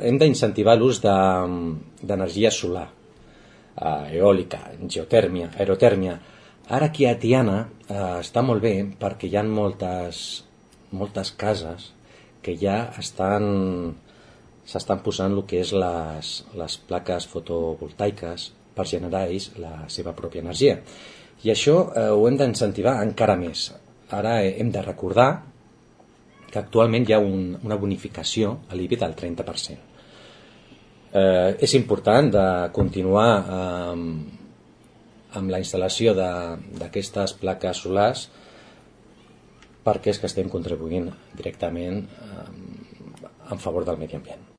hem d'incentivar l'ús d'energia solar, eòlica, geotèrmia, aerotèrmia. Ara aquí a Tiana està molt bé perquè hi ha moltes cases que ja s'estan posant el que és les plaques fotovoltaiques per generar ells la seva pròpia energia. I això ho hem d'incentivar encara més. Ara hem de recordar que actualment hi ha una bonificació a l'IBI del 30%. És important de continuar amb la instal·lació d'aquestes plaques solars perquè és que estem contribuint directament en favor del medi ambient.